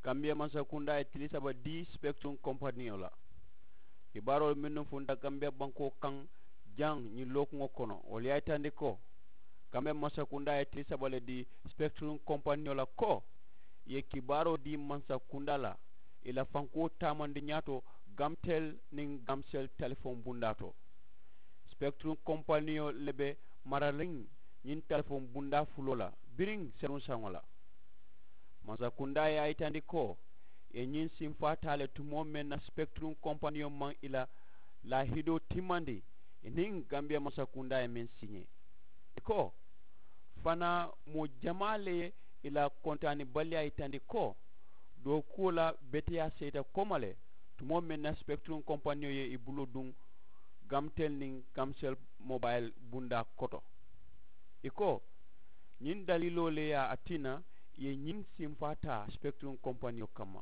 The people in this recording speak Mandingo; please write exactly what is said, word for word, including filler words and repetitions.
Kambiya mansakundaa ye tili saba dii sipekitiruŋ kompaniyo la. Kibaaroolu mennu funta kambiya bankoo kaŋ jaŋ ñiŋ lookuŋo kono wolu ye a yitandi ko kambiya mansakundaa ye tili saba le dii sipekitiruŋ kompaniyo la ko ì ye kibaaroo dii mansakundaa la ì la fankuwo taamandi ñaato gamtel niŋ gamsel telefoŋ bundaa to. Sipekitiruŋ kompaniyo le be marariŋ ñiŋ telefoŋ bundaa fuloo la biriŋ seruŋ saŋo la. Mansakundaa ye a yitandi ko ì ye ñiŋ sinfaa taa le tumoo meŋ na sipekitiruŋ kompaniyo maŋ ì la laahidoo timmandi ì niŋ gambiya mansakundaa ye meŋ siiñee. Ì ko fanaa moo jamaa le ye ì la kontaanibaliyaa yitandi ko dookuwo la beteyaa seyita kooma le tumoo meŋ na sipekitiruŋ kompaniyo ye ì buloo duŋ gamtel niŋ gamsel mobayil bundaa koto. Ì ko ñiŋ daliiloo le ye a tinna ì ye ñiŋ sinfaa taa sipekitiruŋ kompaniyo kamma.